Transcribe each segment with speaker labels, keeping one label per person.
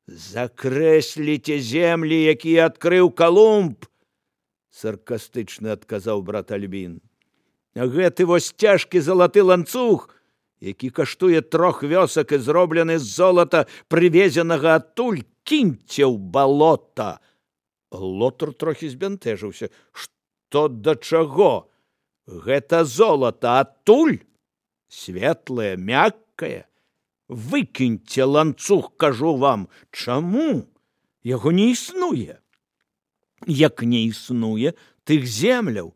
Speaker 1: Закрэсліце землі, якія адкрыў Калумб, саркастычна адказаў брат Альбін. А гэты вось цяжкі залаты ланцуг, які каштуе 3 вёсак і зроблены з золата, прывезенага адтуль, кіньце ў балота. Лотар трохі збянтэжыўся. Што да чаго? Гэта золата адтуль? Светлае, мяккае? Выкіньце ланцуг, кажу вам. Чаму? Яго не існуе. Як не існуе тых земляў,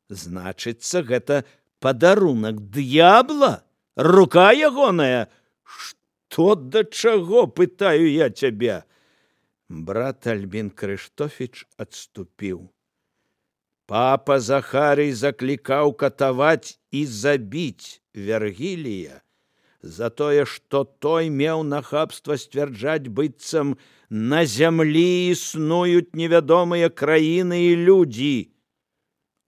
Speaker 1: значыцца, гэта падарунак д'ябла? Рука ягоная? Што да чаго, пытаю я цябе? Брат Альбін Крыштофіч адступіў. Папа Захарый заклікаў катаваць і забіць Вергілія за тое, што той меў нахабства сцвярджаць, быццам на зямлі існуюць невядомыя краіны і людзі,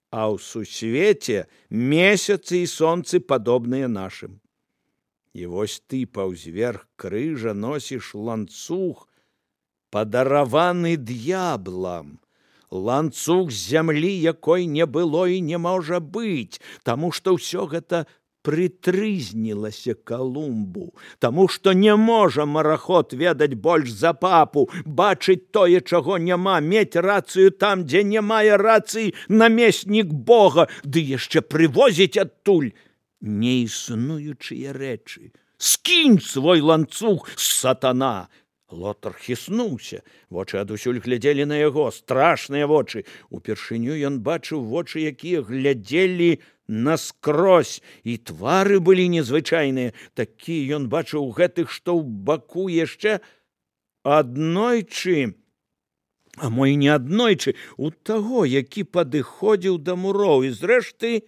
Speaker 1: а ў сусвеце месяцы і сонцы падобныя нашым. І вось ты паўзверх крыжа носіш ланцуг, падараваны д'яблам, ланцуг з зямлі, якой не было і не можа быць, таму што ўсё гэта прытрызнілася Калумбу, таму што не можа мараход ведаць больш за папу, бачыць тое, чаго няма, мець рацыю там, дзе не мае рацыі намеснік Бога, ды яшчэ прывозіць адтуль неіснуючыя рэчы. Скінь свой ланцуг, сатана! Лотар хіснуўся, вочы адусюль глядзелі на яго, страшныя вочы. Упершыню ён бачыў вочы, якія глядзелі наскрозь, і твары былі незвычайныя. Такія ён бачыў гэтых, што ў баку яшчэ аднойчы, а мо і не аднойчы, у таго, які падыходзіў да муроў. І зрэшты,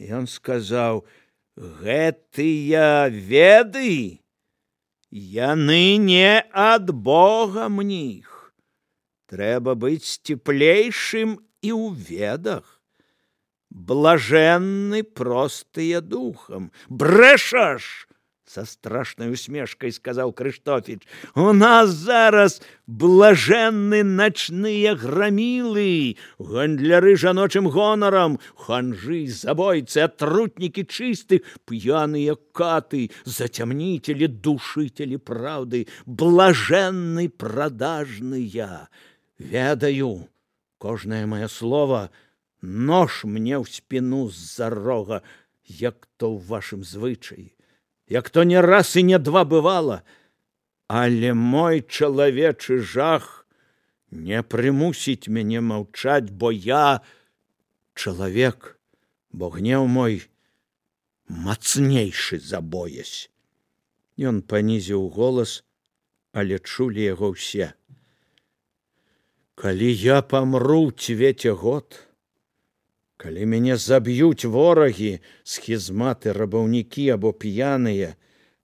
Speaker 1: ён сказаў: гэтыя веды, яны не ад Бога мніх. Трэба быць сціплейшым і ў ведах. Блаженны простыя духам. Брэшаш! Са страшнай усмешкай сказаў Крыштофіч. У нас зараз блаженны начныя грамілы, гандляры жаночым гонарам, ханжы, забойцы, атрутнікі чыстых, п'яныя каты, зацямніцелі, душителі праўды, блаженны прадажныя. Ведаю, кожнае маё слово нож мне ў спіну з-за рога, як то ў вашым звычаі, як то не раз і не два бывала, але мой чалавечы жах не прымусіць мяне маўчаць, бо я чалавек, бо гнеў мой мацнейшы за боязь. Ён панізіў голас, але чулі яго ўсе. Калі я памру, цвеце год, калі мяне заб'юць ворагі, схізматы, рабаўнікі або п'яныя,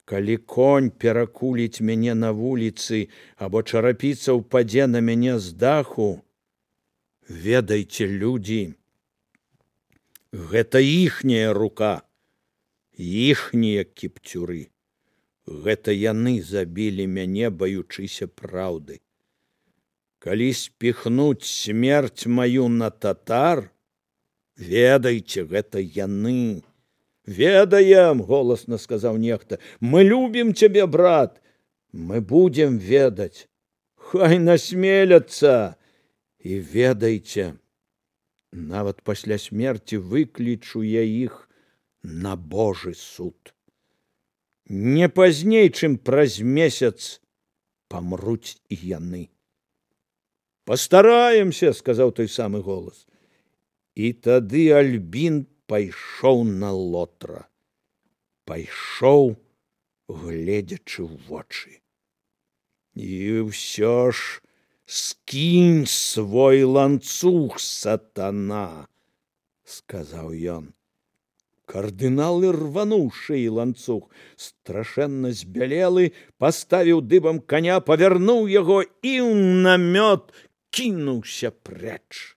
Speaker 1: калі конь перакуліць мяне на вуліцы або чарапіца ўпадзе на мяне з даху, ведайце, людзі, гэта іхняя рука, іхнія кіпцюры. Гэта яны забілі мяне, баючыся праўды. Калі спіхнуць смерць маю на татар, ведайце, гэта яны. Ведаем, голасна сказаў нехта. Мы любім цябе, брат. Мы будем ведаць. Хай насмеляцца. І ведайце, нават пасля смерці выклічу я іх на Божы суд. Не пазней, чым праз месяц памруць і яны. Пастараемся, сказаў той самы голас. І тады Альбін пайшоў на Лотра. Пайшоў, гледзячы ў вочы. І ўсё ж скінь свой ланцуг, сатана, сказаў ён. Кардынал ірвануў шыі ланцуг, страшэнна збялелы, паставіў дыбам каня, павярнуў яго і ў намёт кінуўся прэч.